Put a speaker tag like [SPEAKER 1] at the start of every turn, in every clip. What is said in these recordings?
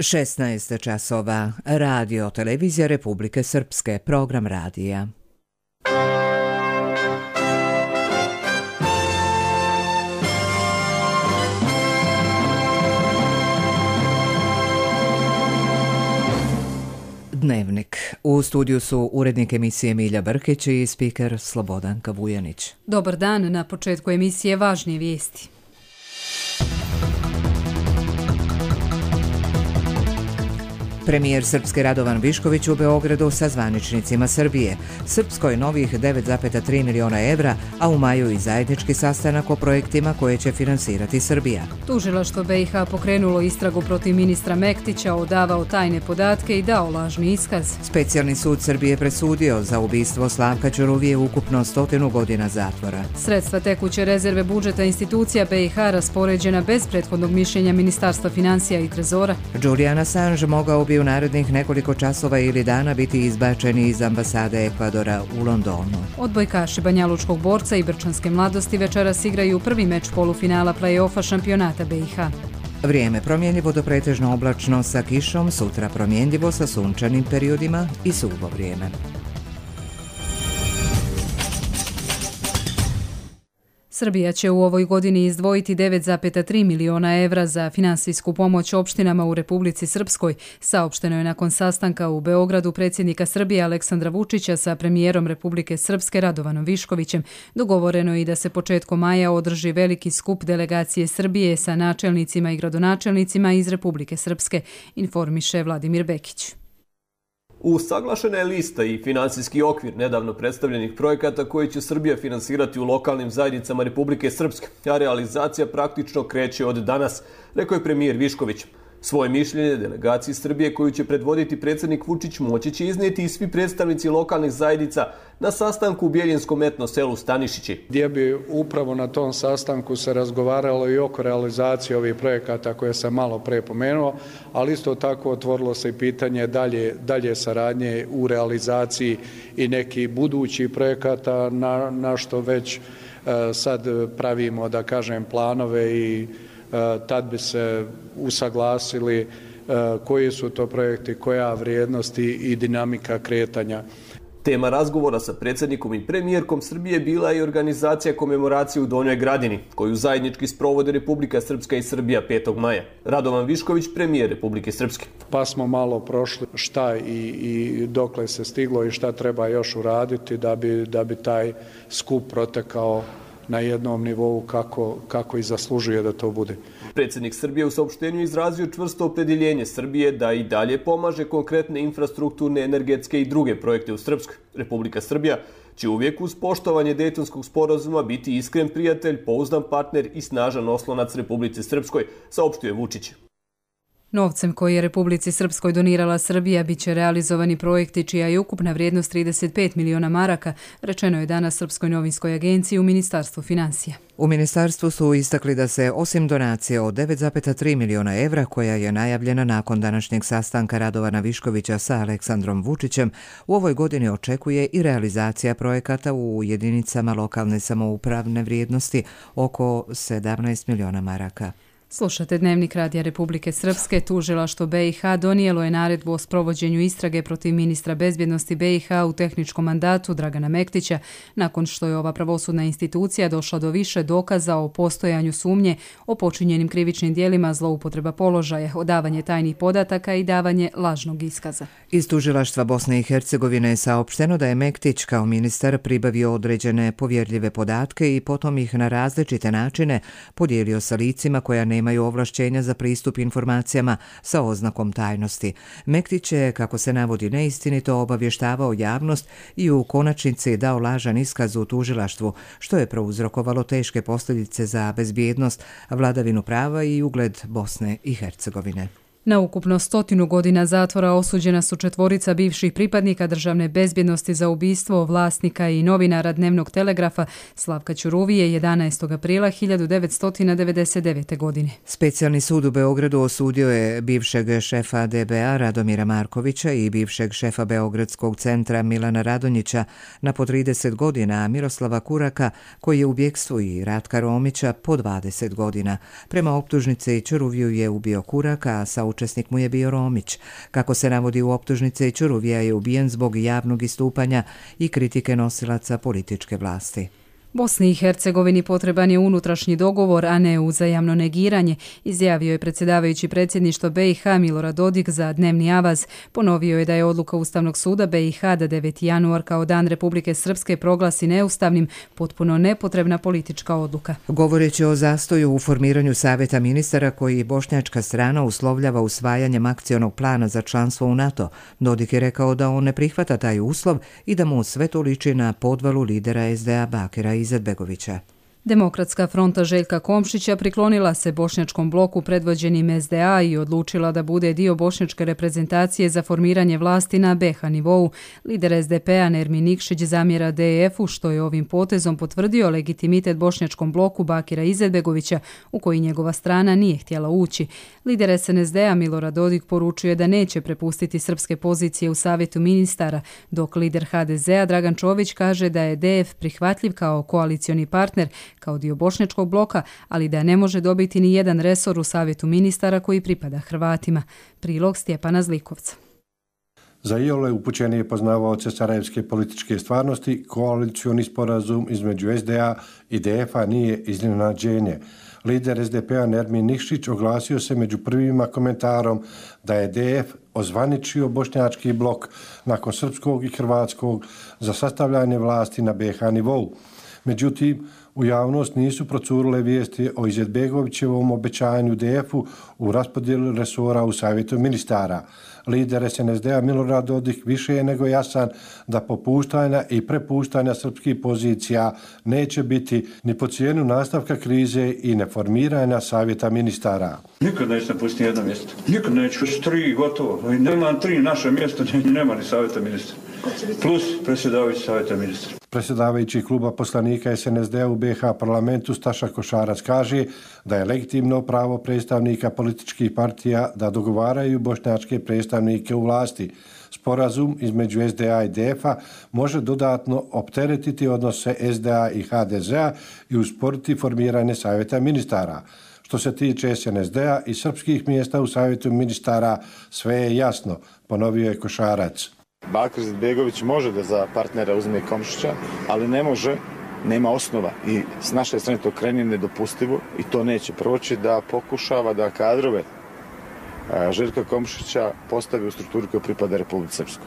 [SPEAKER 1] 16 časova. Radio Televizija Republike Srpske. Program radija. Dnevnik. U studiju su urednik emisije Milja Brkić i spiker Slobodanka Vujanić.
[SPEAKER 2] Dobar dan, na početku emisije važnije vijesti.
[SPEAKER 1] Premijer Srpske Radovan Višković u Beogradu sa zvaničnicima Srbije. Srpskoj novih 9,3 miliona evra, a u maju i zajednički sastanak o projektima koje će finansirati Srbija.
[SPEAKER 2] Tužilaštvo BiH pokrenulo istragu protiv ministra Mektića, odavao tajne podatke i dao lažni iskaz.
[SPEAKER 1] Specijalni sud Srbije presudio za ubistvo Slavka Ćuruvije ukupno 100 godina zatvora.
[SPEAKER 2] Sredstva tekuće rezerve budžeta institucija BiH raspoređena bez prethodnog mišljenja Ministarstva financija i trezora.
[SPEAKER 1] Julian Assange mogao bi u narednih nekoliko časova ili dana biti izbačeni iz ambasade Ekvadora u Londonu.
[SPEAKER 2] Odbojkaši banjalučkog borca i Brčanske mladosti večeras igraju prvi meč polufinala play-offa šampionata BiH.
[SPEAKER 1] Vrijeme promjenjivo do pretežno oblačno sa kišom, sutra promjenjivo sa sunčanim periodima i suvo vrijeme.
[SPEAKER 2] Srbija će u ovoj godini izdvojiti 9,3 miliona evra za finansijsku pomoć opštinama u Republici Srpskoj, saopšteno je nakon sastanka u Beogradu predsjednika Srbije Aleksandra Vučića sa premijerom Republike Srpske Radovanom Viškovićem. Dogovoreno je i da se početkom maja održi veliki skup delegacije Srbije sa načelnicima i gradonačelnicima iz Republike Srpske, informiše Vladimir Bekić.
[SPEAKER 3] Usaglašena je lista i finansijski okvir nedavno predstavljenih projekata koji će Srbija finansirati u lokalnim zajednicama Republike Srpske, a realizacija praktično kreće od danas, rekao je premijer Višković. Svoje mišljenje delegaciji Srbije koju će predvoditi predsjednik Vučić moći će iznijeti i svi predstavnici lokalnih zajednica na sastanku u Bjeljinskom etno selu Stanišići.
[SPEAKER 4] Gdje bi upravo na tom sastanku se razgovaralo i oko realizacije ovih projekata koje sam malo pre pomenuo, ali isto tako otvorilo se i pitanje dalje saradnje u realizaciji i nekih budućih projekata na što već sad pravimo, da kažem, planove i tad bi se usaglasili koji su to projekti, koja vrijednosti i dinamika kretanja.
[SPEAKER 3] Tema razgovora sa predsjednikom i premijerkom Srbije bila je i organizacija komemoracije u Donjoj Gradini, koju zajednički sprovode Republika Srpska i Srbija 5. maja. Radovan Višković, premijer Republike Srpske.
[SPEAKER 4] Pa smo malo prošli šta i dokle se stiglo i šta treba još uraditi da bi taj skup protekao na jednom nivou kako i zaslužuje da to bude.
[SPEAKER 3] Predsjednik Srbije u saopštenju izrazio čvrsto opredjeljenje Srbije da i dalje pomaže konkretne infrastrukturne, energetske i druge projekte u Srpskoj. Republika Srbija će uvijek uz poštovanje Dejtonskog sporazuma biti iskren prijatelj, pouzdan partner i snažan oslonac Republici Srpskoj, saopštio Vučić.
[SPEAKER 2] Novcem koji je Republici Srpskoj donirala Srbija biće realizovani projekti čija je ukupna vrijednost 35 miliona maraka, rečeno je danas Srpskoj novinskoj agenciji u Ministarstvu financija.
[SPEAKER 1] U ministarstvu su istakli da se osim donacije od 9,3 miliona evra koja je najavljena nakon današnjeg sastanka Radovana Viškovića sa Aleksandrom Vučićem, u ovoj godini očekuje i realizacija projekata u jedinicama lokalne samoupravne vrijednosti oko 17 miliona maraka.
[SPEAKER 2] Slušate Dnevnik Radija Republike Srpske. Tužilaštvo BiH donijelo je naredbu o sprovođenju istrage protiv ministra bezbjednosti BiH u tehničkom mandatu Dragana Mektića, nakon što je ova pravosudna institucija došla do više dokaza o postojanju sumnje o počinjenim krivičnim dijelima, zloupotreba položaja, odavanje tajnih podataka i davanje lažnog iskaza.
[SPEAKER 1] Iz tužilaštva Bosne i Hercegovine je saopšteno da je Mektić kao ministar pribavio određene povjerljive podatke i potom ih na različite načine podijelio sa licima koja nemaju ovlašćenja za pristup informacijama sa oznakom tajnosti. Mektić je, kako se navodi, neistinito obavještavao javnost i u konačnici dao lažan iskaz u tužilaštvu, što je prouzrokovalo teške posljedice za bezbjednost, vladavinu prava i ugled Bosne i Hercegovine.
[SPEAKER 2] Na ukupno 100 godina zatvora osuđena su 4 bivših pripadnika državne bezbjednosti za ubistvo vlasnika i novinara Dnevnog telegrafa Slavka Ćuruvije 11. aprila 1999. godine.
[SPEAKER 1] Specijalni sud u Beogradu osudio je bivšeg šefa DBA Radomira Markovića i bivšeg šefa Beogradskog centra Milana Radonjića na po 30 godina, a Miroslava Kuraka, koji je u bjekstvu, i Ratka Romića po 20 godina. Prema optužnici, Ćuruviju je ubio Kuraka, a sa saučesnik mu je bio Romić. Kako se navodi u optužnici, Ćuruvija je ubijen zbog javnog istupanja i kritike nosilaca političke vlasti.
[SPEAKER 2] Bosni i Hercegovini potreban je unutrašnji dogovor, a ne uzajamno negiranje, izjavio je predsjedavajući predsjedništva BiH Milorad Dodik za Dnevni avaz. Ponovio je da je odluka Ustavnog suda BiH da 9. januar kao Dan Republike Srpske proglasi neustavnim potpuno nepotrebna politička odluka.
[SPEAKER 1] Govoreći o zastoju u formiranju Savjeta ministara koji bošnjačka strana uslovljava usvajanjem akcionog plana za članstvo u NATO, Dodik je rekao da on ne prihvata taj uslov i da mu sve to liči na podvalu lidera SDA Bakira Izetbegovića.
[SPEAKER 2] Demokratska fronta Željka Komšića priklonila se bošnjačkom bloku predvođenim SDA i odlučila da bude dio bošnjačke reprezentacije za formiranje vlasti na BiH nivou. Lider SDP-a Nermin Nikšić zamjera DF-u što je ovim potezom potvrdio legitimitet bošnjačkom bloku Bakira Izetbegovića u koji njegova strana nije htjela ući. Lider SNSD-a Milorad Dodik poručuje da neće prepustiti srpske pozicije u Savjetu ministara, dok lider HDZ-a Dragan Čović kaže da je DF prihvatljiv kao koalicioni partner, kao dio bošnjačkog bloka, ali da ne može dobiti ni jedan resor u Savjetu ministara koji pripada Hrvatima. Prilog Stjepana Zlikovca.
[SPEAKER 5] Za iole upućenije poznavaoce sarajevske političke stvarnosti, koalicioni sporazum između SDA i DF-a nije iznenađenje. Lider SDP-a Nermin Nikšić oglasio se među prvima komentarom da je DF ozvaničio bošnjački blok nakon srpskog i hrvatskog za sastavljanje vlasti na BiH nivou. Međutim, u javnost nisu procurile vijesti o Izetbegovićevom obećanju DF-u u raspodjeli resora u Savjetu ministara. Lider SNSD-a Milorad Dodik više je nego jasan da popuštanja i prepuštanja srpskih pozicija neće biti ni po cijenu nastavka krize i neformiranja Savjeta ministara.
[SPEAKER 6] Nikad neće napustiti jedno mjesto. Nikad neće, već 3 gotovo. Nema 3 naše mjesto, nema ni Savjeta ministra. Plus predsjedavajući Savjeta ministra.
[SPEAKER 5] Predsjedavajući kluba poslanika SNSD-a u BiH parlamentu Staša Košarac kaže da je legitimno pravo predstavnika političkih partija da dogovaraju bošnjačke predstavnike u vlasti. Sporazum između SDA i DF-a može dodatno opteretiti odnose SDA i HDZ-a i usporiti formiranje Savjeta ministara. Što se tiče SNSD-a i srpskih mjesta u Savjetu ministara, sve je jasno, ponovio je Košarac.
[SPEAKER 7] Bakir Izetbegović može da za partnera uzme Komšića, ali ne može, nema osnova i s naše strane to krajnje nedopustivo i to neće proći da pokušava da kadrove Željka Komšića postavi u strukturi koja pripada Republici Srpskoj.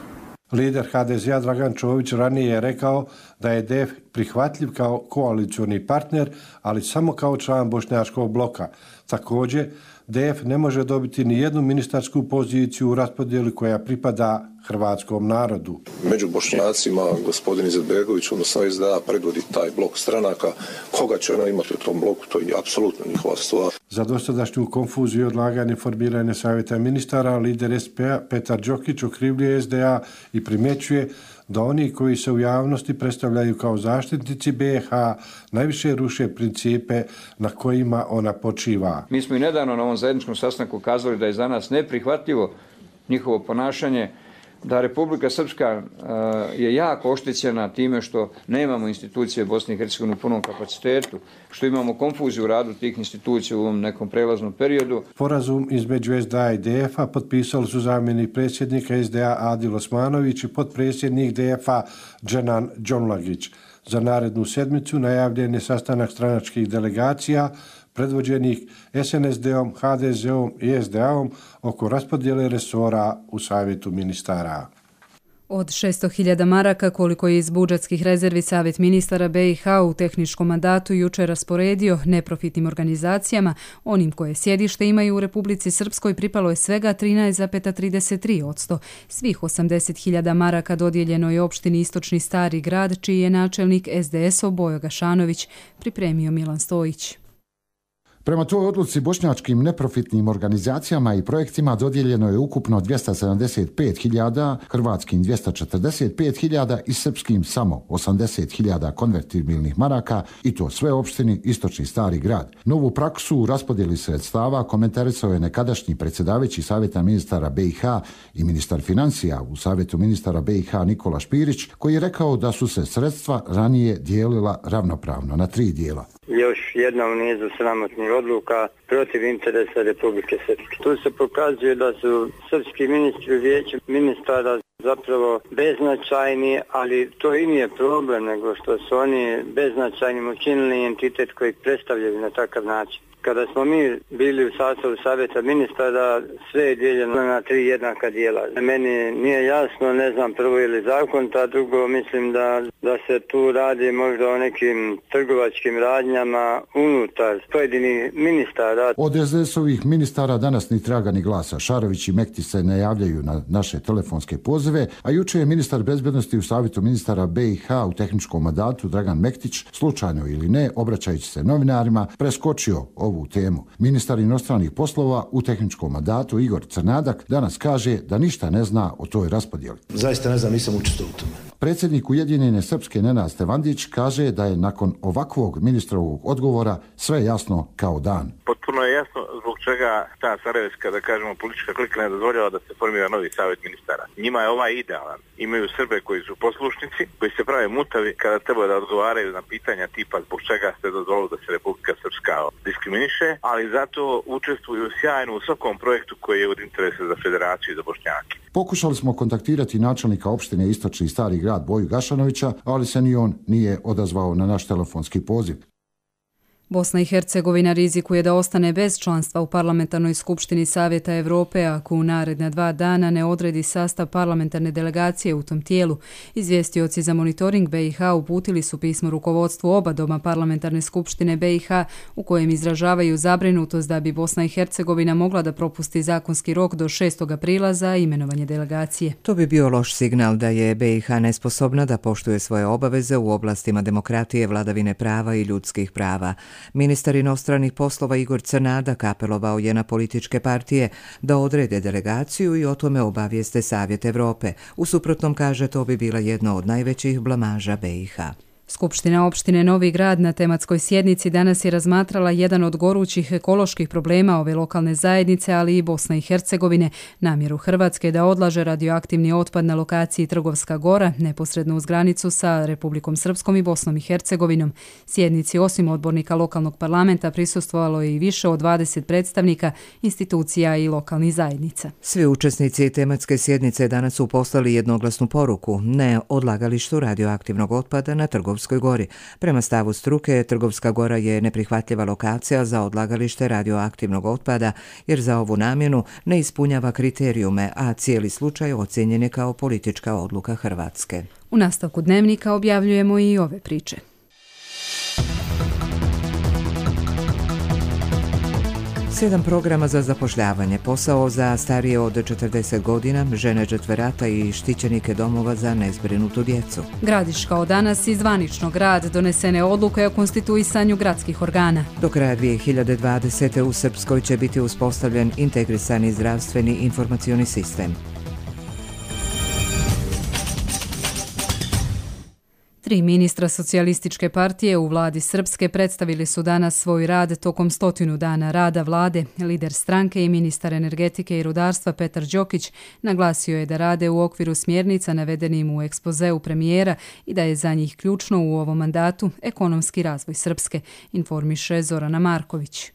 [SPEAKER 5] Lider HDZ-a Dragan Čović ranije je rekao da je DF prihvatljiv kao koalicioni partner, ali samo kao član bošnjačkog bloka. Također, DF ne može dobiti ni jednu ministarsku poziciju u raspodjeli koja pripada hrvatskom narodu.
[SPEAKER 8] Među Bošnjacima gospodin Izetbegović, odnosno SDA, predvodi taj blok stranaka. Koga će ona imati u tom bloku, to je apsolutno njihova stvar.
[SPEAKER 5] Za dosadašnju konfuziju i odlaganje formiranja Savjeta ministara, lider SP-a Petar Đokić okrivljuje SDA i primjećuje da oni koji se u javnosti predstavljaju kao zaštitnici BiH najviše ruše principe na kojima ona počiva.
[SPEAKER 9] Mi smo i nedavno na ovom zajedničkom sastanku kazali da je za nas neprihvatljivo njihovo ponašanje, da Republika Srpska je jako oštećena time što nemamo institucije Bosne i Hercegovine u punom kapacitetu, što imamo konfuziju u radu tih institucija u ovom nekom prelaznom periodu.
[SPEAKER 5] Sporazum između SDA i DF-a potpisali su zamjenik predsjednika SDA Adil Osmanović i potpredsjednik DF-a Dženan Džonlagić. Za narednu sedmicu najavljen je sastanak stranačkih delegacija predvođenih SNSD-om, HDZ-om i SDA-om oko raspodjele resora u Savjetu ministara.
[SPEAKER 2] Od 600.000 maraka koliko je iz budžetskih rezervi Savjet ministara BiH u tehničkom mandatu jučer rasporedio neprofitnim organizacijama, onim koje sjedište imaju u Republici Srpskoj pripalo je svega 13,33%. Svih 80.000 maraka dodijeljeno je opštini Istočni Stari Grad, čiji je načelnik SDS-ov Bojo Gašanović, pripremio Milan Stojić.
[SPEAKER 10] Prema toj odluci bošnjačkim neprofitnim organizacijama i projektima dodijeljeno je ukupno 275.000, hrvatskim 245.000 i srpskim samo 80.000 konvertibilnih maraka i to sve opštini Istočni Stari Grad. Novu praksu u raspodjeli sredstava komentarisao je nekadašnji predsjedavajući Savjeta ministara BiH i ministar financija u Savjetu ministara BiH Nikola Špirić, koji je rekao da su se sredstva ranije dijelila ravnopravno na 3 dijela.
[SPEAKER 11] još jedna u nizu sramotnih odluka protiv interesa Republike Srpske. Tu se pokazuje da su srpski ministri u vijeću ministara zapravo beznačajni, ali to i nije problem, nego što su oni beznačajnim učinili entitet koji predstavljaju na takav način. Kada smo mi bili u sastavu savjeta ministara, sve je dijeljeno na 3 jednaka dijela. Meni nije jasno, ne znam prvo ili zakon, a drugo mislim da se tu radi možda o nekim trgovačkim radnjama unutar pojedinih ministara.
[SPEAKER 10] Od SDS-ovih ministara danas ni traga ni glasa. Šarović i Mektić se ne javljaju na naše telefonske pozive, a juče je ministar bezbednosti u savjetu ministara BiH u tehničkom mandatu Dragan Mektić, slučajno ili ne, obraćajući se novinarima, preskočio ovu temu. Ministar inostranih poslova u tehničkom mandatu Igor Crnadak danas kaže da ništa ne zna o toj raspodjeli.
[SPEAKER 12] Zaista ne znam, nisam učestvovao u tome.
[SPEAKER 10] Predsjednik Ujedinjene Srpske Nenad Stevandić kaže da je nakon ovakvog ministrovog odgovora sve jasno kao dan.
[SPEAKER 13] Potpuno je jasno zbog čega ta sarajevska, da kažemo, politička klika ne dozvoljava da se formira novi savjet ministara. Njima je ovaj idealan. Imaju Srbe koji su poslušnici, koji se prave mutavi kada treba da odgovaraju na pitanja tipa zbog čega ste dozvolili da se Republika Srpska diskriminiše, ali zato učestvuju sjajno u svakom projektu koji je od interesa za federaciju i za Bošnjake.
[SPEAKER 10] Pokušali smo kontaktirati načelnika opštine Istočni Stari grad Boju Gašanovića, ali se ni on nije odazvao na naš telefonski poziv.
[SPEAKER 2] Bosna i Hercegovina rizikuje da ostane bez članstva u Parlamentarnoj skupštini Savjeta Evrope ako u naredna 2 dana ne odredi sastav parlamentarne delegacije u tom tijelu. Izvjestioci za monitoring BiH uputili su pismo rukovodstvu oba doma Parlamentarne skupštine BiH u kojem izražavaju zabrinutost da bi Bosna i Hercegovina mogla da propusti zakonski rok do 6. aprila za imenovanje delegacije.
[SPEAKER 1] To bi bio loš signal da je BiH nesposobna da poštuje svoje obaveze u oblastima demokratije, vladavine prava i ljudskih prava. Ministar inostranih poslova Igor Crnadak apelovao je na političke partije da odrede delegaciju i o tome obavijeste Savjet Evrope. U suprotnom, kaže, to bi bila jedna od najvećih blamaža BiH.
[SPEAKER 2] Skupština opštine Novi Grad na tematskoj sjednici danas je razmatrala jedan od gorućih ekoloških problema ove lokalne zajednice, ali i Bosne i Hercegovine, namjeru Hrvatske da odlaže radioaktivni otpad na lokaciji Trgovska Gora, neposredno uz granicu sa Republikom Srpskom i Bosnom i Hercegovinom. Sjednici osim odbornika lokalnog parlamenta prisustvovalo je i više od 20 predstavnika, institucija i lokalnih zajednica.
[SPEAKER 1] Svi učesnici tematske sjednice danas su poslali jednoglasnu poruku ne odlagalištu radioaktivnog otpada na Trgovskoj Gori. Prema stavu struke, Trgovska Gora je neprihvatljiva lokacija za odlagalište radioaktivnog otpada jer za ovu namjenu ne ispunjava kriterijume, a cijeli slučaj ocjenjen je kao politička odluka Hrvatske.
[SPEAKER 2] U nastavku dnevnika objavljujemo i ove priče.
[SPEAKER 1] Sedam programa za zapošljavanje, posao za starije od 40 godina, žene džetverata i štićenike domova za nezbrinutu djecu.
[SPEAKER 2] Gradiška od danas i zvanično grad donesene odluke o konstituisanju gradskih organa.
[SPEAKER 1] Do kraja 2020. u Srpskoj će biti uspostavljen integrisani zdravstveni informacioni sistem.
[SPEAKER 2] 3 ministra socijalističke partije u vladi Srpske predstavili su danas svoj rad tokom 100 dana rada vlade. Lider stranke i ministar energetike i rudarstva Petar Đokić naglasio je da rade u okviru smjernica navedenim u ekspozeu premijera i da je za njih ključno u ovom mandatu ekonomski razvoj Srpske, informiše Zorana Marković.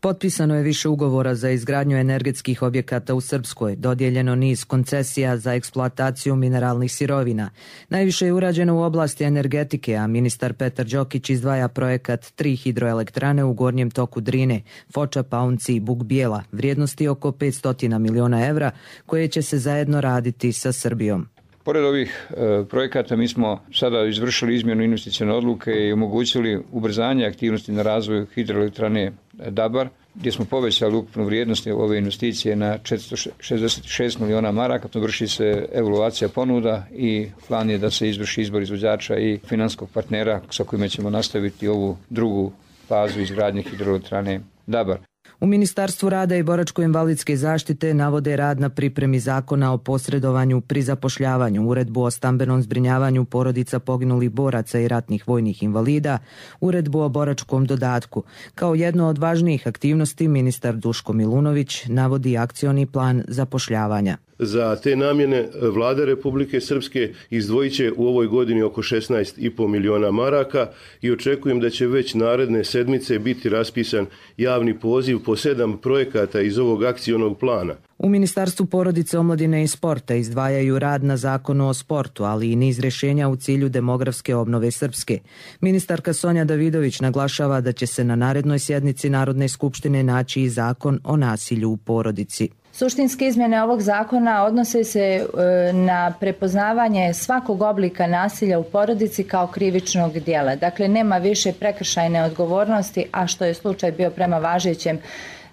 [SPEAKER 14] Potpisano je više ugovora za izgradnju energetskih objekata u Srpskoj, dodijeljeno niz koncesija za eksploataciju mineralnih sirovina. Najviše je urađeno u oblasti energetike, a ministar Petar Đokić izdvaja projekat 3 hidroelektrane u gornjem toku Drine, Foča, Paunci i Buk Bijela, vrijednosti oko 500 miliona evra, koje će se zajedno raditi sa Srbijom.
[SPEAKER 9] Pored ovih projekata mi smo sada izvršili izmjenu investicione odluke i omogućili ubrzanje aktivnosti na razvoju hidroelektrane Dabar, gdje smo povećali ukupnu vrijednost ove investicije na 466 miliona maraka. Vrši se evaluacija ponuda i plan je da se izvrši izbor izvođača i finanskog partnera sa kojima ćemo nastaviti ovu drugu fazu izgradnje hidroelektrane Dabar.
[SPEAKER 14] U Ministarstvu rada i boračko-invalidske zaštite navode rad na pripremi zakona o posredovanju pri zapošljavanju, uredbu o stambenom zbrinjavanju porodica poginulih boraca i ratnih vojnih invalida, uredbu o boračkom dodatku. Kao jedno od važnijih aktivnosti ministar Duško Milunović navodi akcioni plan zapošljavanja.
[SPEAKER 15] Za te namjene vlada Republike Srpske izdvojit će u ovoj godini oko 16,5 miliona maraka i očekujem da će već naredne sedmice biti raspisan javni poziv po 7 projekata iz ovog akcionog plana.
[SPEAKER 14] U Ministarstvu porodice, omladine i sporta izdvajaju rad na zakonu o sportu, ali i niz rješenja u cilju demografske obnove Srpske. Ministarka Sonja Davidović naglašava da će se na narednoj sjednici Narodne skupštine naći i zakon o nasilju u porodici.
[SPEAKER 16] Suštinske izmjene ovog zakona odnose se na prepoznavanje svakog oblika nasilja u porodici kao krivičnog djela. Dakle, nema više prekršajne odgovornosti, a što je slučaj bio prema važećem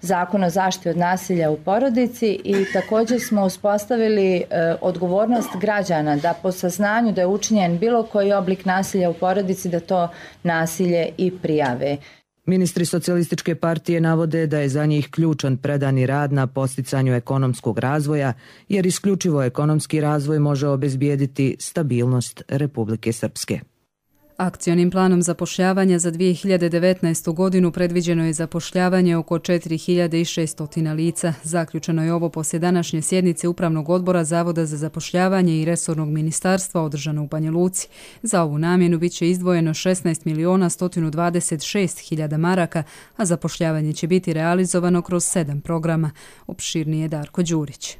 [SPEAKER 16] Zakonu o zaštiti od nasilja u porodici, i također smo uspostavili odgovornost građana da po saznanju da je učinjen bilo koji oblik nasilja u porodici da to nasilje i prijave.
[SPEAKER 14] Ministri Socijalističke partije navode da je za njih ključan predani rad na posticanju ekonomskog razvoja, jer isključivo ekonomski razvoj može obezbijediti stabilnost Republike Srpske.
[SPEAKER 2] Akcionim planom zapošljavanja za 2019. godinu predviđeno je zapošljavanje oko 4600 lica. Zaključeno je ovo poslije današnje sjednice Upravnog odbora Zavoda za zapošljavanje i resornog ministarstva održano u Banja Luci. Za ovu namjenu bit će izdvojeno 16.126.000 maraka, a zapošljavanje će biti realizovano kroz 7 programa. Opširnije Darko Đurić.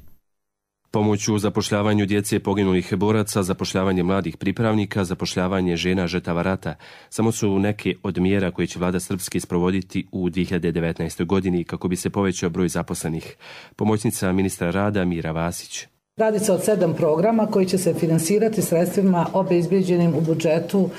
[SPEAKER 17] Pomoć u zapošljavanju djece poginulih boraca, zapošljavanje mladih pripravnika, zapošljavanje žena žrtava rata samo su neke od mjera koje će vlada Srpske sprovoditi u 2019. godini kako bi se povećao broj zaposlenih. Pomoćnica ministra rada Mira Vasić.
[SPEAKER 18] Radi se o 7 programa koji će se finansirati sredstvima obezbijeđenim u budžetu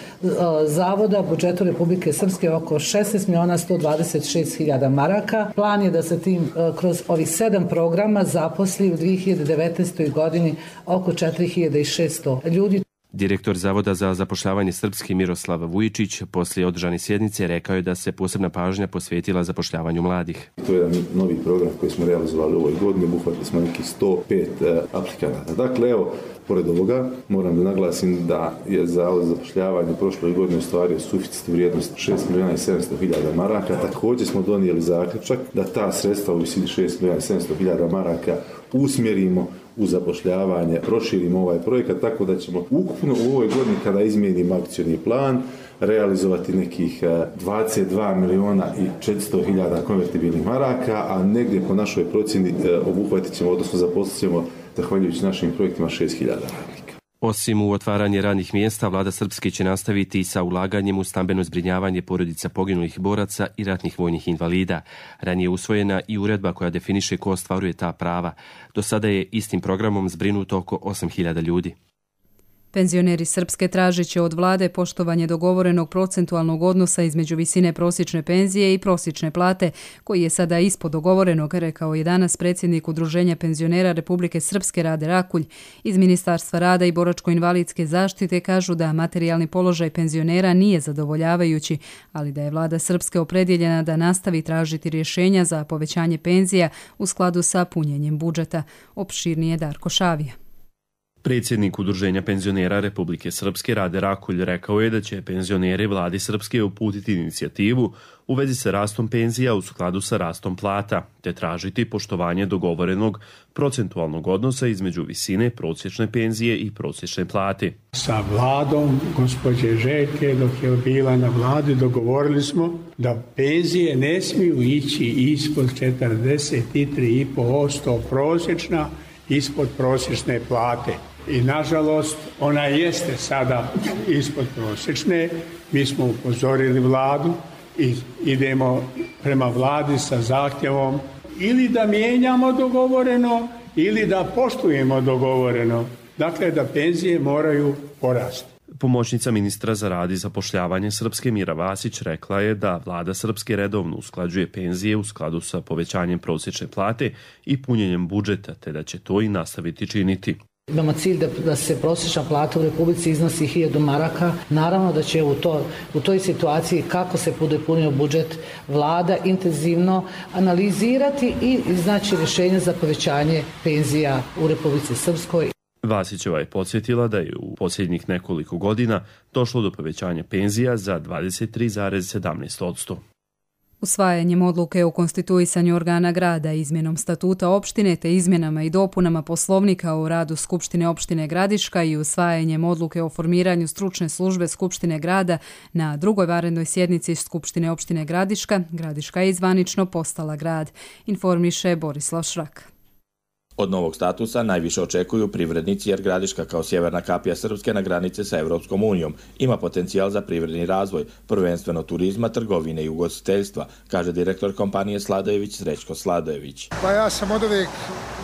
[SPEAKER 18] Zavoda, budžetu Republike Srpske oko 16.126.000 maraka. Plan je da se tim kroz ovih 7 programa zaposli u 2019. godini oko 4.600 ljudi.
[SPEAKER 17] Direktor Zavoda za zapošljavanje Srpske Miroslav Vujičić poslije održane sjednice rekao je da se posebna pažnja posvetila zapošljavanju mladih.
[SPEAKER 19] To je jedan novi program koji smo realizovali u ovoj godini, obuhvatili smo nekih 105 aplikanata. Dakle, evo, pored ovoga moram da naglasim da je Zavod za zapošljavanje prošloj godini ostvario suficit u vrijednosti 6.700.000 maraka. Također smo donijeli zaključak da ta sredstva u visini 6.700.000 maraka usmjerimo u zapošljavanje, proširimo ovaj projekat tako da ćemo ukupno u ovoj godini kada izmijenimo akcioni plan realizovati nekih 22.400.000 konvertibilnih maraka, a negdje po našoj procjeni obuhvatit ćemo, odnosno zaposlit ćemo zahvaljujući našim projektima 6.000 radnika.
[SPEAKER 17] Osim u otvaranje radnih mjesta, vlada Srpske će nastaviti sa ulaganjem u stambeno zbrinjavanje porodica poginulih boraca i ratnih vojnih invalida. Ranije je usvojena i uredba koja definiše ko ostvaruje ta prava. Do sada je istim programom zbrinuto oko 8.000 ljudi.
[SPEAKER 2] Penzioneri Srpske tražit će od vlade poštovanje dogovorenog procentualnog odnosa između visine prosječne penzije i prosječne plate, koji je sada ispod dogovorenog, rekao je danas predsjednik Udruženja penzionera Republike Srpske Rade Rakulj. Iz Ministarstva rada i boračko-invalidske zaštite kažu da materijalni položaj penzionera nije zadovoljavajući, ali da je vlada Srpske opredjeljena da nastavi tražiti rješenja za povećanje penzija u skladu sa punjenjem budžeta. Opširnije Darko Šavija.
[SPEAKER 20] Predsjednik Udruženja penzionera Republike Srpske Rade Rakulj rekao je da će penzioneri vladi Srpske uputiti inicijativu u vezi sa rastom penzija u skladu sa rastom plata, te tražiti poštovanje dogovorenog procentualnog odnosa između visine prosječne penzije i prosječne plate.
[SPEAKER 21] Sa vladom gospođe Željke, dok je bila na vladi, dogovorili smo da penzije ne smiju ići ispod 43,5% prosječna, ispod prosječne plate. I nažalost ona jeste sada ispod prosječne. Mi smo upozorili vladu i idemo prema vladi sa zahtjevom ili da mijenjamo dogovoreno ili da poštujemo dogovoreno. Dakle, da penzije moraju porasti.
[SPEAKER 20] Pomoćnica ministra za rad i zapošljavanje Srpske Mira Vasić rekla je da vlada Srpske redovno usklađuje penzije u skladu sa povećanjem prosječne plate i punjenjem budžeta, te da će to i nastaviti činiti.
[SPEAKER 18] Imamo cilj da se prosječna plata u Republici iznosi 1000 maraka. Naravno da će u toj situaciji kako se bude punio budžet vlada intenzivno analizirati i iznaći rješenje za povećanje penzija u Republici Srpskoj.
[SPEAKER 20] Vasićeva je podsjetila da je u posljednjih nekoliko godina došlo do povećanja penzija za 23,17%.
[SPEAKER 2] Usvajanjem odluke o konstituisanju organa grada, izmjenom statuta opštine te izmjenama i dopunama poslovnika o radu Skupštine opštine Gradiška i usvajanjem odluke o formiranju stručne službe Skupštine grada na drugoj vanrednoj sjednici Skupštine opštine Gradiška, Gradiška je zvanično postala grad, informiše Borislav Šrak.
[SPEAKER 4] Od novog statusa najviše očekuju privrednici jer Gradiška kao sjeverna kapija Srpske na granici sa Evropskom unijom ima potencijal za privredni razvoj, prvenstveno turizma, trgovine i ugostiteljstva, kaže direktor kompanije Sladojević Srećko Sladojević.
[SPEAKER 22] Pa ja sam od uvijek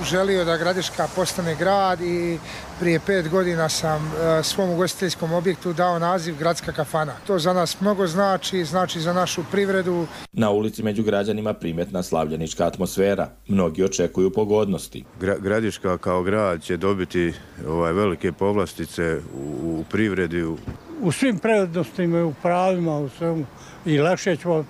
[SPEAKER 22] želio da Gradiška postane grad i prije 5 godina sam svom ugostiteljskom objektu dao naziv Gradska kafana. To za nas mnogo znači za našu privredu.
[SPEAKER 4] Na ulici među građanima primjetna slavljenička atmosfera. Mnogi očekuju pogodnosti.
[SPEAKER 23] Gradiška kao grad će dobiti velike povlastice u privredi.
[SPEAKER 21] U svim prednostima i u pravima, u svemu. I lakše ćemo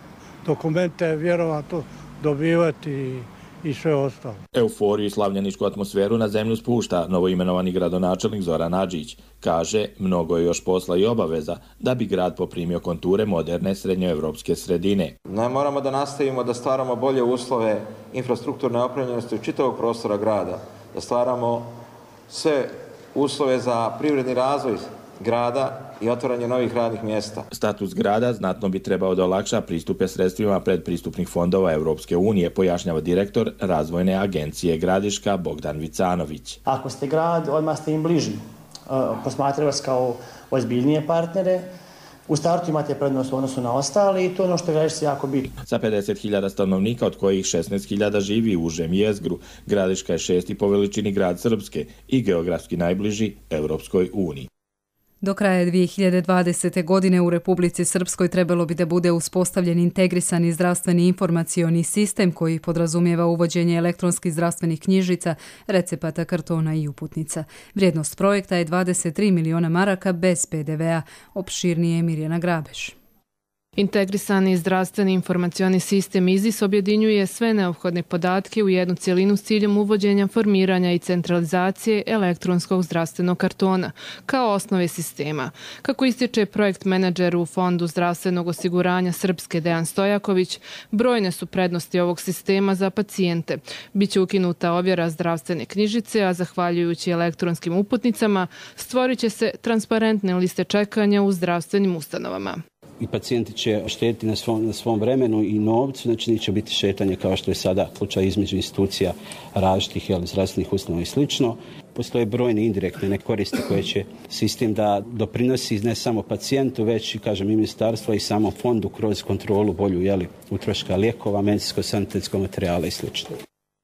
[SPEAKER 21] dokumente vjerovatno dobivati i sve ostalo.
[SPEAKER 4] Euforiju i slavljeničku atmosferu na zemlju spušta novoimenovani gradonačelnik Zoran Adžić. Kaže, mnogo je još posla i obaveza da bi grad poprimio konture moderne srednjoevropske sredine.
[SPEAKER 24] Moramo da nastavimo da stvaramo bolje uslove infrastrukturne opremljenosti u čitavog prostora grada, da stvaramo sve uslove za privredni razvoj grada i otvaranje novih radnih mjesta.
[SPEAKER 4] Status grada znatno bi trebao da olakša pristupe sredstvima predpristupnih fondova Evropske unije, pojašnjava direktor Razvojne agencije Gradiška Bogdan Vicanović.
[SPEAKER 25] Ako ste grad, odmah ste im bliži. Posmatraju vas kao ozbiljnije partnere. U startu imate prednost u odnosu na ostali i to je ono što Gradišci jako bitno.
[SPEAKER 4] Sa 50.000 stanovnika, od kojih 16.000 živi u užem jezgru, Gradiška je 6. po veličini grad Srpske i geografski najbliži Evropskoj uniji.
[SPEAKER 2] Do kraja 2020. godine u Republici Srpskoj trebalo bi da bude uspostavljen integrisani zdravstveni informacioni sistem koji podrazumijeva uvođenje elektronskih zdravstvenih knjižica, recepata, kartona i uputnica. Vrijednost projekta je 23 miliona maraka bez PDV-a, opširnije Mirjana Grabeš.
[SPEAKER 26] Integrisani zdravstveni informacioni sistem IZIS objedinjuje sve neophodne podatke u jednu cjelinu s ciljem uvođenja, formiranja i centralizacije elektronskog zdravstvenog kartona kao osnove sistema. Kako ističe projekt menadžer u Fondu zdravstvenog osiguranja Srpske Dejan Stojaković, brojne su prednosti ovog sistema za pacijente. Biće ukinuta ovjera zdravstvene knjižice, a zahvaljujući elektronskim uputnicama stvorit će se transparentne liste čekanja u zdravstvenim ustanovama.
[SPEAKER 27] I pacijenti će štediti na svom vremenu i novcu, znači neće biti šetanje kao što je sada slučaj između institucija različitih zdravstvenih ustanova i slično. Postoje brojne indirektne nekoristi koje će sistem da doprinosi ne samo pacijentu, već i ministarstvo i samom fondu kroz kontrolu bolju utroška lijekova, medicinsko-sanitetskog materijala i slično.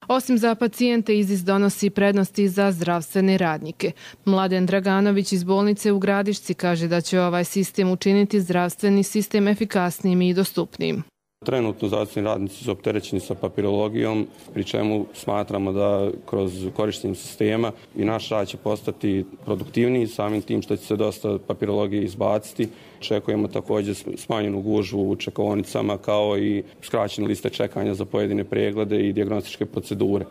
[SPEAKER 26] Osim za pacijente, IZIS donosi prednosti za zdravstvene radnike. Mladen Draganović iz bolnice u Gradišci kaže da će ovaj sistem učiniti zdravstveni sistem efikasnijim i dostupnijim.
[SPEAKER 28] Trenutno zdravstveni radnici su opterećeni sa papirologijom, pri čemu smatramo da kroz korištenje sistema i naš rad će postati produktivniji, samim tim što će se dosta papirologije izbaciti. Očekujemo također smanjenu gužvu u čekaonicama kao i skraćene liste čekanja za pojedine preglede i dijagnostičke procedure.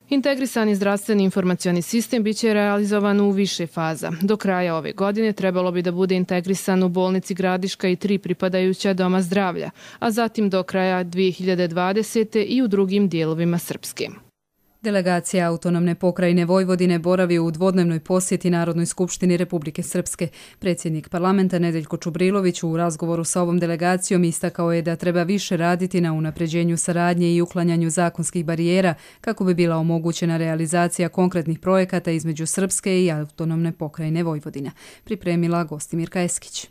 [SPEAKER 26] Integrisani zdravstveni informacioni sistem biće realizovan u više faza. Do kraja ove godine trebalo bi da bude integrisan u bolnici Gradiška i 3 pripadajuća doma zdravlja, a zatim do kraja 2020. i u drugim dijelovima Srpske.
[SPEAKER 2] Delegacija Autonomne pokrajine Vojvodine boravi u dvodnevnoj posjeti Narodnoj skupštini Republike Srpske. Predsjednik parlamenta Nedeljko Čubrilović u razgovoru sa ovom delegacijom istakao je da treba više raditi na unapređenju saradnje i uklanjanju zakonskih barijera kako bi bila omogućena realizacija konkretnih projekata između Srpske i Autonomne pokrajine Vojvodina. Pripremila Gostimirka Eskić.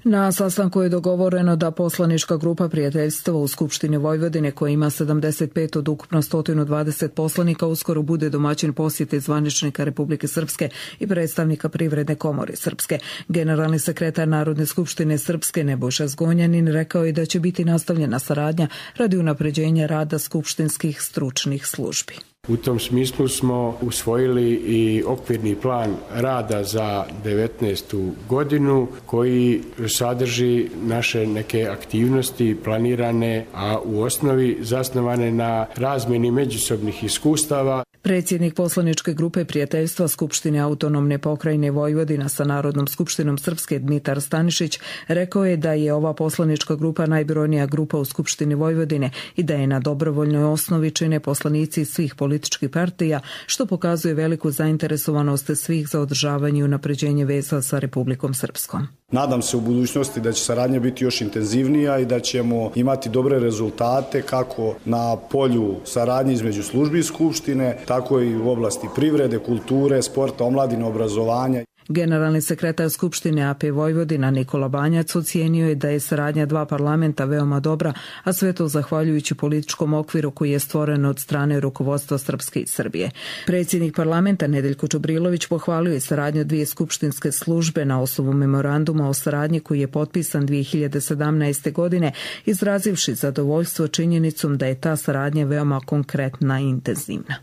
[SPEAKER 29] Na sastanku je dogovoreno da poslanička grupa prijateljstva u Skupštini Vojvodine, koja ima 75 od ukupno 120 poslanika, uskoro bude domaćin posjete zvaničnika Republike Srpske i predstavnika Privredne komore Srpske. Generalni sekretar Narodne skupštine Srpske Nebojša Zgonjanin rekao je da će biti nastavljena saradnja radi unapređenja rada skupštinskih stručnih službi.
[SPEAKER 21] U tom smislu smo usvojili i okvirni plan rada za 2019. godinu koji sadrži naše neke aktivnosti planirane, a u osnovi zasnovane na razmjeni međusobnih iskustava.
[SPEAKER 29] Predsjednik poslaničke grupe prijateljstva Skupštine autonomne pokrajine Vojvodina sa Narodnom skupštinom Srpske Dmitar Stanišić rekao je da je ova poslanička grupa najbrojnija grupa u Skupštini Vojvodine i da je na dobrovoljnoj osnovi čine poslanici svih političkih partija, što pokazuje veliku zainteresovanost svih za održavanje i unapređenje veza sa Republikom Srpskom.
[SPEAKER 3] Nadam se u budućnosti da će saradnja biti još intenzivnija i da ćemo imati dobre rezultate kako na polju saradnje između službi Skupštine, tako i u oblasti privrede, kulture, sporta, omladine, obrazovanja.
[SPEAKER 29] Generalni sekretar Skupštine AP Vojvodina Nikola Banjac ocijenio je da je saradnja dva parlamenta veoma dobra, a sve to zahvaljujući političkom okviru koji je stvoren od strane rukovodstva Srpske i Srbije. Predsjednik parlamenta Nedeljko Čubrilović pohvalio je saradnju dvije skupštinske službe na osnovu memoranduma o saradnji koji je potpisan 2017. godine, izrazivši zadovoljstvo činjenicom da je ta saradnja veoma konkretna i intenzivna.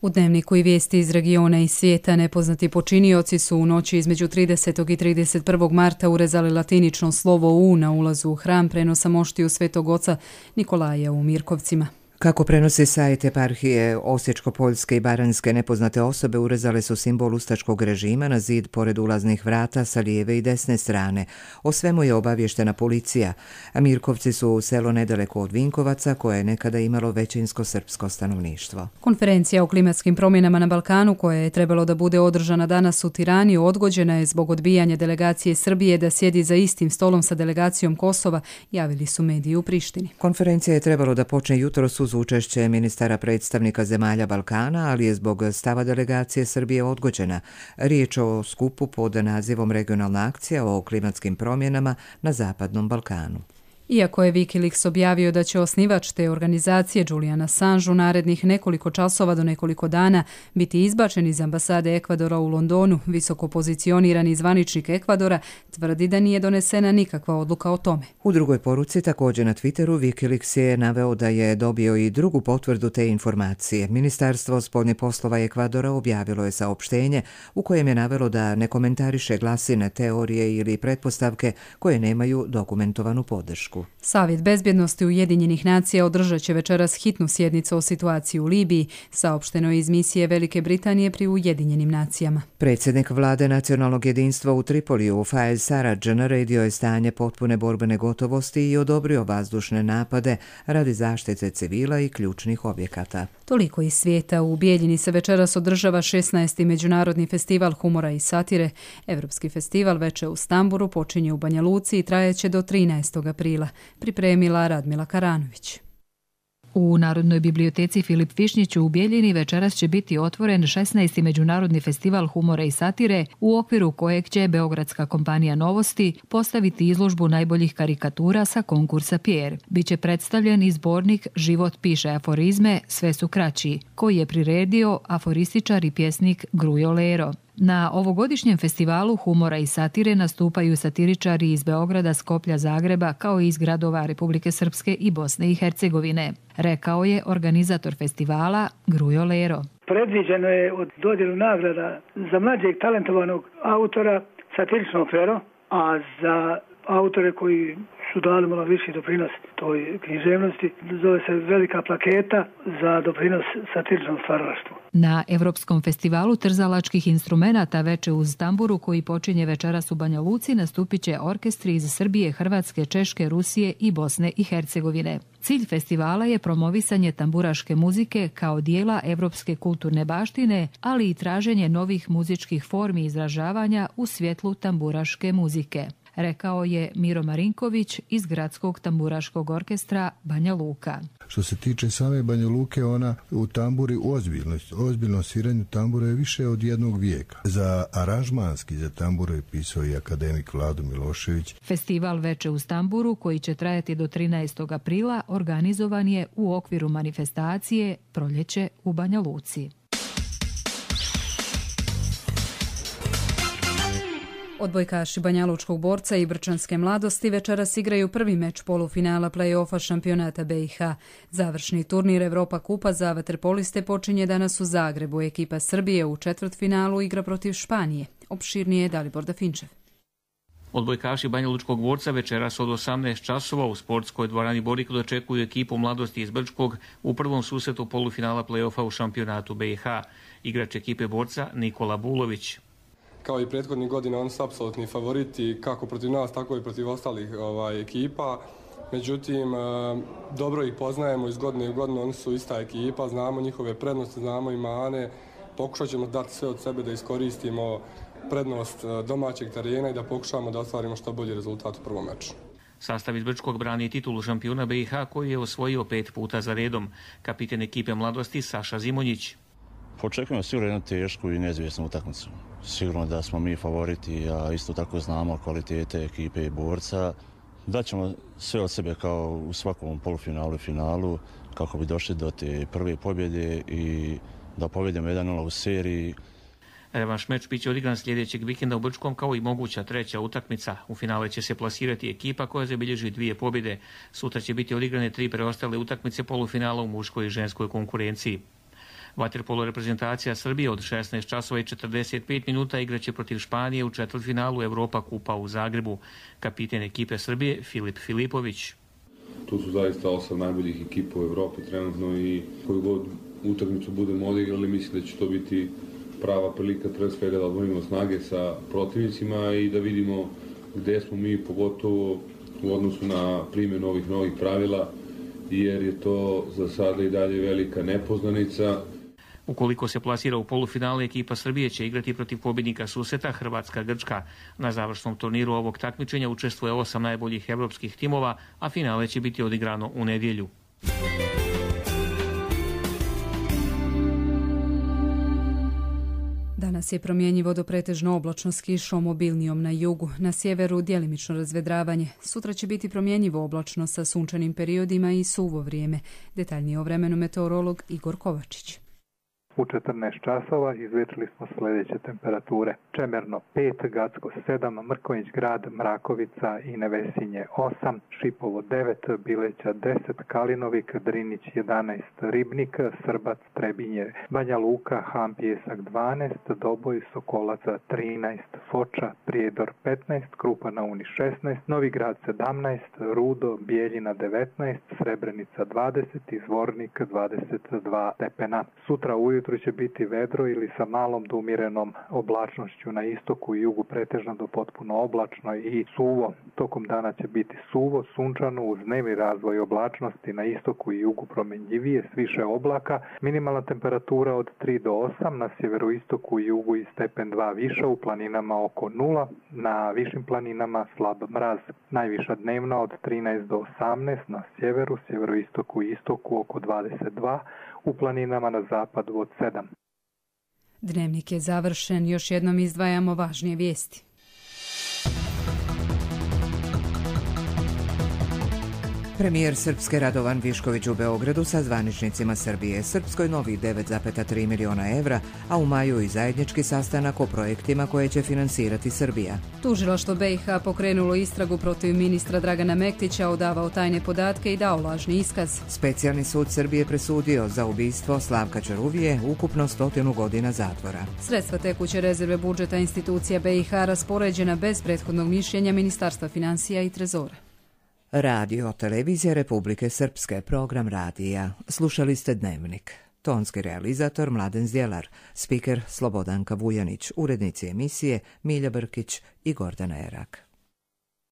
[SPEAKER 2] U Dnevniku i vijesti iz regiona i svijeta nepoznati počinioci su u noći između 30. i 31. marta urezali latinično slovo U na ulazu u hram prenosa moštiju Svetog oca Nikolaja u Mirkovcima.
[SPEAKER 1] Kako prenosi sajt eparhije Osječko-Poljske i Baranjske, nepoznate osobe urezale su simbol ustaškog režima na zid pored ulaznih vrata sa lijeve i desne strane. O svemu je obavještena policija, a Mirkovci su selo nedaleko od Vinkovaca koje je nekada imalo većinsko srpsko stanovništvo.
[SPEAKER 2] Konferencija o klimatskim promjenama na Balkanu, koja je trebalo da bude održana danas u Tirani, odgođena je zbog odbijanja delegacije Srbije da sjedi za istim stolom sa delegacijom Kosova, javili su mediji u Prištini.
[SPEAKER 1] Konferencija je trebalo da počne jutros uz učešće ministara predstavnika zemalja Balkana, ali je zbog stava delegacije Srbije odgođena. Riječ o skupu pod nazivom Regionalna akcija o klimatskim promjenama na Zapadnom Balkanu.
[SPEAKER 2] Iako je Wikileaks objavio da će osnivač te organizacije Julian Assange u narednih nekoliko časova do nekoliko dana biti izbačen iz ambasade Ekvadora u Londonu, visoko pozicionirani zvaničnik Ekvadora tvrdi da nije donesena nikakva odluka o tome.
[SPEAKER 1] U drugoj poruci također na Twitteru Wikileaks je naveo da je dobio i drugu potvrdu te informacije. Ministarstvo spoljnih poslova Ekvadora objavilo je saopštenje u kojem je navelo da ne komentariše glasine, teorije ili pretpostavke koje nemaju dokumentovanu podršku.
[SPEAKER 2] Savjet bezbjednosti Ujedinjenih nacija održat će večeras hitnu sjednicu o situaciji u Libiji, saopšteno je iz misije Velike Britanije pri Ujedinjenim nacijama.
[SPEAKER 1] Predsjednik vlade nacionalnog jedinstva u Tripoliju, Faiz Sarraj, naredio je stanje potpune borbene gotovosti i odobrio vazdušne napade radi zaštite civila i ključnih objekata.
[SPEAKER 2] Toliko iz svijeta. U Bijeljini se večeras održava 16. Međunarodni festival humora i satire. Evropski festival Veče u Stamburu počinje u Banja Luci i trajeće do 13. aprila. Pripremila Radmila Karanović.
[SPEAKER 5] U Narodnoj biblioteci Filip Višnjić u Bijeljini večeras će biti otvoren 16. Međunarodni festival humora i satire, u okviru kojeg će beogradska kompanija Novosti postaviti izložbu najboljih karikatura sa konkursa Pierre. Biće predstavljen i zbornik Život piše aforizme, sve su kraći, koji je priredio aforističar i pjesnik Grujo Lero. Na ovogodišnjem festivalu humora i satire nastupaju satiričari iz Beograda, Skoplja, Zagreba, kao i iz gradova Republike Srpske i Bosne i Hercegovine, rekao je organizator festivala Grujo Lero.
[SPEAKER 6] Predviđeno je od dodjelu nagrada za mlađeg talentovanog autora satiričnog pero, a za autore koji su dali malo viši doprinos toj književnosti, zove se velika plaketa za doprinos satiričnom stvaralaštvu.
[SPEAKER 5] Na Evropskom festivalu trzalačkih instrumenata Veče uz tamburu, koji počinje večeras u Banja Luci, nastupit će orkestri iz Srbije, Hrvatske, Češke, Rusije i Bosne i Hercegovine. Cilj festivala je promovisanje tamburaške muzike kao dijela evropske kulturne baštine, ali i traženje novih muzičkih formi izražavanja u svjetlu tamburaške muzike, rekao je Miro Marinković iz Gradskog tamburaškog orkestra Banja Luka.
[SPEAKER 7] Što se tiče same Banja Luke, ona u tamburi ozbiljno sviranju tambura je više od jednog vijeka. Za aranžmanski za tamburu je pisao i akademik Vlado Milošević.
[SPEAKER 5] Festival Veče uz tamburu, koji će trajati do 13. aprila, organizovan je u okviru manifestacije Proljeće u Banja Luci.
[SPEAKER 2] Odbojkaši Banjalučkog borca i Brčanske mladosti večeras igraju prvi meč polufinala play-offa šampionata BiH. Završni turnir Evropa kupa za vaterpoliste počinje danas u Zagrebu. Ekipa Srbije u četvrtfinalu igra protiv Španije. Opširnije je Dalibor Dafinčev.
[SPEAKER 8] Odbojkaši Banjalučkog Borca večeras od 18 časova u sportskoj dvorani Borik dočekuju ekipu Mladosti iz Brčkog u prvom susretu polufinala play-offa u šampionatu BiH. Igrač ekipe Borca Nikola Bulović.
[SPEAKER 9] Kao i prethodnih godina, oni su apsolutni favoriti kako protiv nas, tako i protiv ostalih ekipa. Međutim, dobro ih poznajemo iz godine u godinu, oni su ista ekipa, znamo njihove prednosti, znamo i mane. Pokušat ćemo dati sve od sebe da iskoristimo prednost domaćeg terena i da pokušamo da ostvarimo što bolji rezultat u prvom meču.
[SPEAKER 8] Sastav iz Brčkog brani titulu šampiona BiH koji je osvojio 5 puta za redom. Kapiten ekipe Mladosti Saša Zimonjić.
[SPEAKER 10] Očekujemo sigurno jednu tešku i neizvjesnu utakmicu. Sigurno da smo mi favoriti, a isto tako znamo kvalitete ekipe i Borca. Daćemo sve od sebe kao u svakom polufinalu i finalu kako bi došli do te prve pobjede i da pobjedimo 1-0 u seriji.
[SPEAKER 8] Revanš meč biće odigran sljedećeg vikenda u Brčkom kao i moguća treća utakmica. U finale će se plasirati ekipa koja zabilježi 2 pobjede. Sutra će biti odigrane 3 preostale utakmice polufinala u muškoj i ženskoj konkurenciji. Vaterpolo reprezentacija Srbije od 16 časova i 45 minuta igraće protiv Španije u četvrtfinalu Europa kupa u Zagrebu. Kapiten ekipe Srbije Filip Filipović.
[SPEAKER 11] Tu su zaista 8 najboljih ekipa u Evropi trenutno i koju god utakmicu budemo odigrali, mislim da će to biti prava prilika pre svega da odvojimo snage sa protivnicima i da vidimo gde smo mi, pogotovo u odnosu na primjenu ovih novih pravila, jer je to za sada i dalje velika nepoznanica.
[SPEAKER 8] Ukoliko se plasira u polufinale, ekipa Srbije će igrati protiv pobjednika susreta Hrvatska-Grčka. Na završnom turniru ovog takmičenja učestvuje 8 najboljih evropskih timova, a finale će biti odigrano u nedjelju.
[SPEAKER 2] Danas je promjenjivo do pretežno oblačno s kišom, obilnijom na jugu, na sjeveru djelimično razvedravanje. Sutra će biti promjenjivo oblačno sa sunčanim periodima i suvo vrijeme. Detaljnije o vremenu meteorolog Igor Kovačić.
[SPEAKER 12] U 14 časova izvjetrili smo sljedeće temperature. Čemerno 5, Gacko 7, Mrkonjić grad, Mrakovica i Nevesinje 8, Šipovo 9, Bileća 10, Kalinovik, Drinić 11, Ribnik, Srbac, Trebinje, Banja Luka, Ham Pjesak 12, Doboj, Sokolaca 13, Foča, Prijedor 15, Krupa na Uni 16, Novi grad 17, Rudo, Bijeljina 19, Srebrenica 20 i Zvornik 22 stepena. Sutra ujutro će biti vedro ili sa malom do umjerenom oblačnošću, na istoku i jugu pretežno do potpuno oblačno i suvo. Tokom dana će biti suvo, sunčano uz dnevni razvoj oblačnosti, na istoku i jugu promjenjivije s više oblaka. Minimalna temperatura od 3 do 8, na sjeveroistoku i jugu i stepen 2 više, u planinama oko 0, na višim planinama slab mraz. Najviša dnevna od 13 do 18, na sjeveru, sjeveroistoku i istoku oko 22, u planinama na zapadu od 7.
[SPEAKER 2] Dnevnik je završen, još jednom izdvajamo važnije vijesti.
[SPEAKER 1] Premijer Srpske Radovan Višković u Beogradu sa zvaničnicima Srbije Srpskoj novih 9,3 miliona evra, a u maju i zajednički sastanak o projektima koje će finansirati Srbija.
[SPEAKER 2] Tužilaštvo BiH pokrenulo istragu protiv ministra Dragana Mektića, odavao tajne podatke i dao lažni iskaz.
[SPEAKER 1] Specijalni sud Srbije presudio za ubistvo Slavka Čaruvije ukupno 100 godina zatvora.
[SPEAKER 2] Sredstva tekuće rezerve budžeta institucija BiH raspoređena bez prethodnog mišljenja Ministarstva financija i Trezora.
[SPEAKER 1] Radio Televizija Republike Srpske, program radija. Slušali ste Dnevnik. Tonski realizator Mladen Zdjelar, spiker Slobodanka Vujanić, urednici emisije Milja Brkić i Gordana Erak.